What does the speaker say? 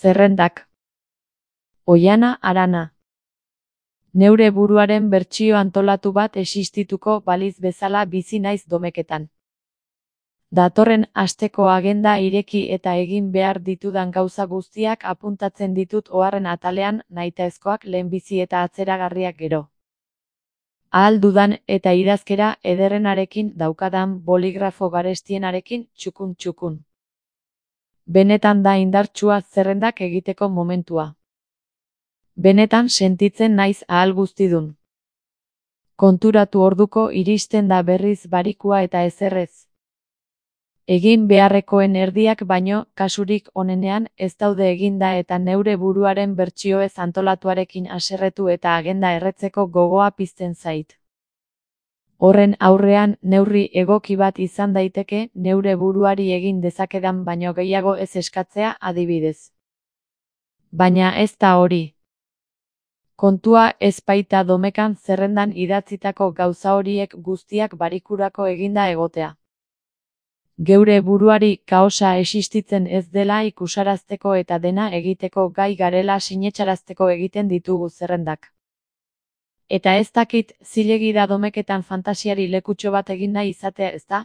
Zerrendak. Oihana Arana. Neure buruaren bertsio antolatu bat existituko baliz bezala bizi naiz domeketan. Datorren asteko agenda ireki eta egin behar ditudan gauza guztiak apuntatzen ditut oharren atalean, nahitaezkoak lehenbizi eta atzeragarriak gero. Ahal dudan eta idazkera ederrenarekin daukadan boligrafo garestienarekin txukun-txukun. Benetan da indartsua zerrendak egiteko momentua. Benetan sentitzen naiz ahal guztidun. Konturatu orduko iristen da berriz barikua eta ezerrez. Egin beharrekoen erdiak baino, kasurik onenean, ez daude eginda eta neure buruaren bertsioez antolatuarekin haserretu eta agenda erretzeko gogoa pizten zait. Horren aurrean, neurri egoki bat izan daiteke, neure buruari egin dezakedan baino gehiago ez eskatzea adibidez. Baina ez da hori. Kontua ez baita domekan zerrendan idatzitako gauza horiek guztiak barikurako eginda egotea. Geure buruari kaosa existitzen ez dela ikusarazteko eta dena egiteko gai garela sinetsarazteko egiten ditugu zerrendak. Eta ez dakit, zilegi da domeketan fantasiari lekutxo bat egin nahi izatea, ezta?